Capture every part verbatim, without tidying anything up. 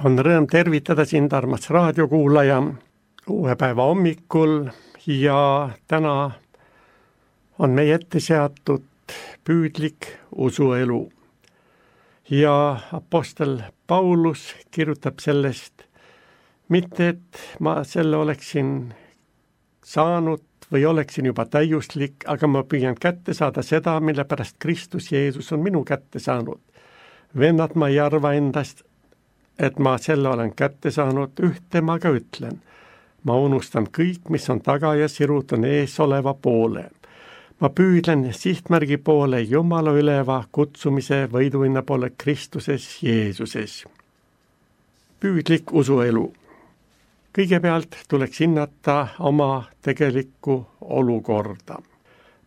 On rõõm tervitada sind, armas raadiokuulaja, uue päeva hommikul ja täna on meie ette seatud püüdlik usuelu. Ja apostel Paulus kirjutab sellest, mitte et ma selle oleksin saanud või oleksin juba täiuslik, aga ma püüan kätte saada seda, mille pärast Kristus Jeesus on minu kätte saanud. Vennad, ma ei arva endast, et ma selle olen kätte saanud, ühte ma ka ütlen. Ma unustan kõik, mis on taga ja sirutan ees oleva poole. Ma püüdlen sihtmärgi poole Jumala üleva kutsumise võiduinna poole Kristuses Jeesuses. Püüdlik usuelu. Kõigepealt tuleks hinnata oma tegelikku olukorda.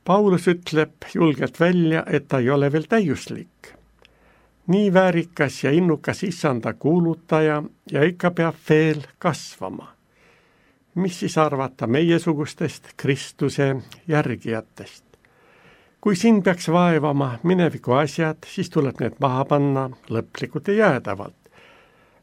Paulus ütleb julgelt välja, et ta ei ole veel täiuslik. Nii väärikas ja innukas issanda kuulutaja ja ikka peab veel kasvama. Mis siis arvata meiesugustest Kristuse järgijatest? Kui sind peaks vaevama mineviku asjad, siis tuleb need maha panna lõplikult ja jäädavalt.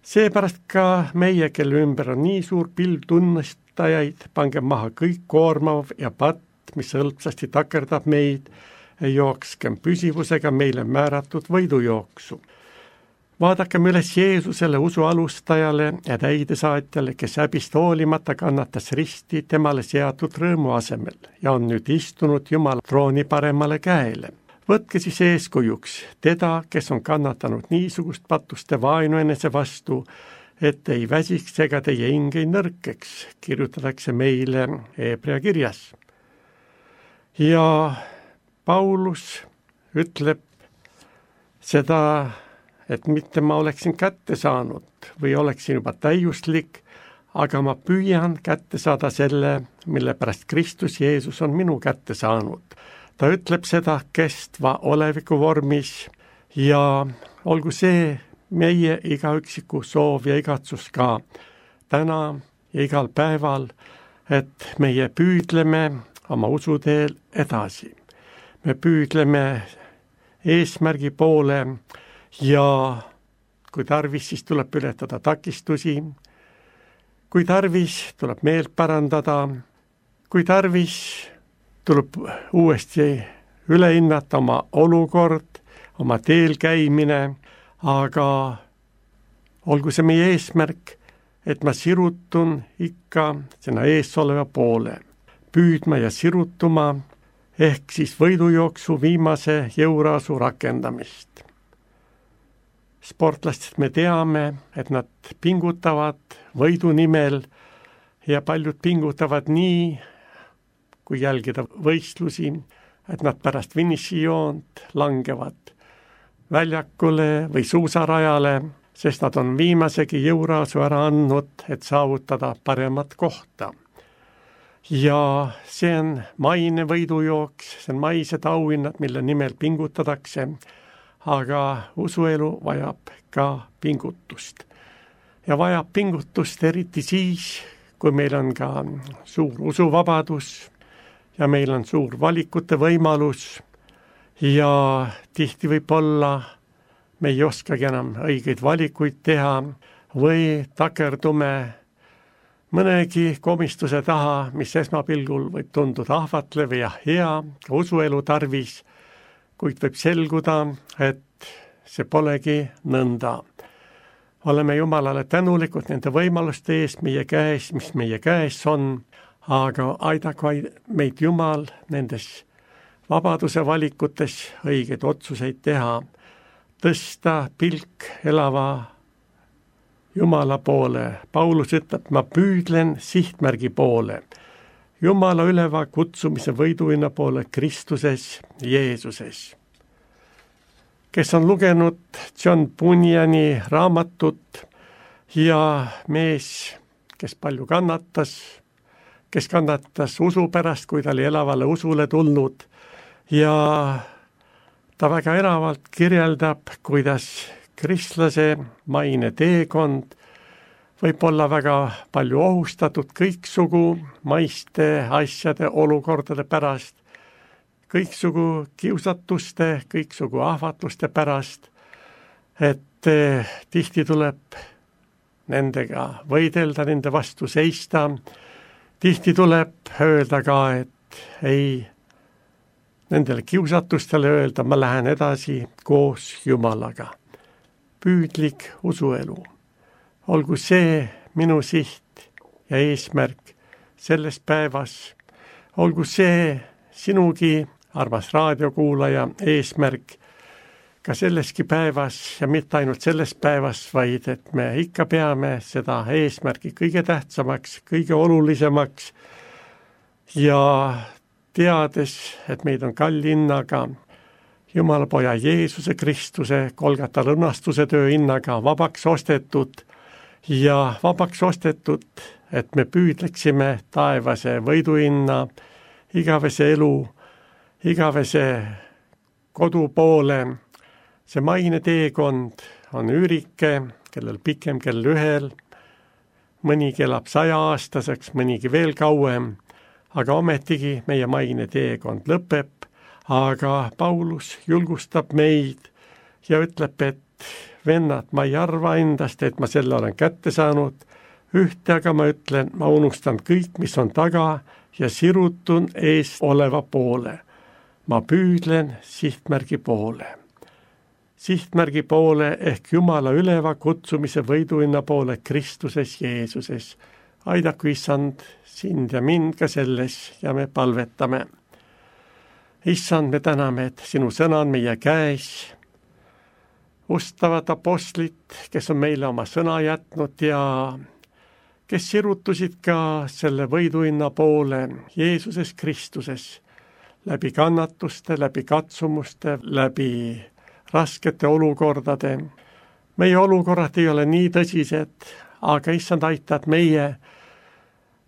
Seepärast ka meie, kelle ümber on nii suur pilv tunnistajaid, pange maha kõik koormav ja patt, mis hõlpsasti takerdab meid, jookskem püsivusega meile määratud võidujooksu. Vaadakem üles Jeesusele, usu alustajale ja täidesaatjale, kes häbist hoolimata kannatas risti temale seatud rõõmu asemel ja on nüüd istunud Jumala trooni paremale käele. Võtke siis eeskujuks teda, kes on kannatanud niisugust pattuste vaenu enese vastu, et ei väsiks ega teie hing ei nõrkeks, kirjutatakse meile Hebra kirjas. Ja Paulus ütleb seda, et mitte ma oleksin kätte saanud või oleksin juba täiuslik, aga ma püüan kätte saada selle, mille pärast Kristus Jeesus on minu kätte saanud. Ta ütleb seda kestva oleviku vormis ja olgu see meie igaüksiku soov ja igatsus ka täna ja igal päeval, et meie püüdleme oma usuteel edasi. Me püüdleme eesmärgi poole ja kui tarvis, siis tuleb ületada takistusi, kui tarvis, tuleb meelt parandada, kui tarvis, tuleb uuesti üle hinnata oma olukord, oma teel käimine, aga olgu see meie eesmärk, et ma sirutun ikka sinna ees oleva poole, püüdma ja sirutuma, ehk siis võidujooksu viimase jõuraasu rakendamist. Sportlastest me teame, et nad pingutavad võidu nimel ja paljud pingutavad nii, kui jälgida võistlusi, et nad pärast finišijoont langevad väljakule või suusarajale, sest nad on viimasegi jõuraasu ära andnud, et saavutada paremat kohta. Ja see on maine võidujooks, see on maised auhinnad, mille nimel pingutatakse, aga usuelu vajab ka pingutust. Ja vajab pingutust eriti siis, kui meil on ka suur usuvabadus ja meil on suur valikute võimalus ja tihti võib olla, me ei oskagi enam õigeid valikuid teha või takerdume mõnegi komistuse taha, mis esmapilgul võib tunduda ahvatlev ja hea, ka usuelu tarvis, kuid võib selguda, et see polegi nõnda. Oleme Jumalale tänulikud nende võimaluste eest meie käes, mis meie käes on, aga aidaku meid Jumal nendes vabaduse valikutes õigeid otsuseid teha, tõsta pilk elava Jumala poole. Paulus ütleb, ma püüdlen sihtmärgi poole. Jumala üleva kutsumise võiduinna poole Kristuses Jeesuses. Kes on lugenud John Bunyani raamatut ja mees, kes palju kannatas, kes kannatas usu pärast, kui ta oli elavale usule tulnud ja ta väga eravalt kirjeldab, kuidas kristlase maine teekond võib olla väga palju ohustatud kõiksugu maiste asjade olukordade pärast, kõiksugu kiusatuste, kõiksugu ahvatluste pärast, et tihti tuleb nendega võidelda, nende vastu seista. Tihti tuleb öelda ka, et ei, nendele kiusatustele öelda, ma lähen edasi koos Jumalaga. Püüdlik usuelu. Olgu see minu siht ja eesmärk selles päevas. Olgu see sinugi, armas raadiokuulaja, eesmärk ka selleski päevas ja mitte ainult selles päevas, vaid et me ikka peame seda eesmärki kõige tähtsamaks, kõige olulisemaks ja teades, et meid on kalli hinnaga, Jumala poja Jeesuse Kristuse Golgata õnnastuse töö hinnaga vabaks ostetud ja vabaks ostetud, et me püüdleksime taevase võiduhinna, igavese elu, igavese kodu poole. See maine teekond on üürike, kellel pikem kell ühel, mõnigi elab saja aastaseks, mõnigi veel kauem, aga ometigi meie maine teekond lõpeb, aga Paulus julgustab meid ja ütleb, et vennad, ma ei arva endast, et ma selle olen kätte saanud, ühte aga ma ütlen, ma unustan kõik, mis on taga ja sirutun ees oleva poole. Ma püüdlen sihtmärgi poole. Sihtmärgi poole ehk Jumala üleva kutsumise võiduhinna poole Kristuses Jeesuses. Aidaku Issand sind ja mind ka selles ja me palvetame. Issand, me täname, et sinu sõna on meie käes. Ustavad apostlid, kes on meile oma sõna jätnud ja kes sirutusid ka selle võiduhinna poole Jeesuses Kristuses läbi kannatuste, läbi katsumuste, läbi raskete olukordade. Meie olukorrad ei ole nii tõsised, aga Issand aitad meie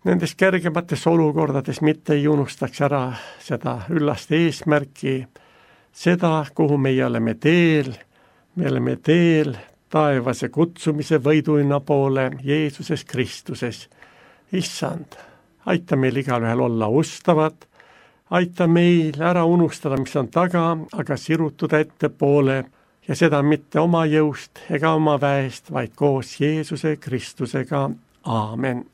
nendes kergemates olukordades mitte ei unustaks ära seda üllast eesmärki, seda, kuhu meie oleme teel, me oleme teel taevase kutsumise võiduhinna poole Jeesuses Kristuses. Issand, aita meil igalühel olla ustavad, aita meil ära unustada, mis on taga, aga sirutuda ettepoole ja seda mitte oma jõust ega oma väest, vaid koos Jeesuse Kristusega. Aamen.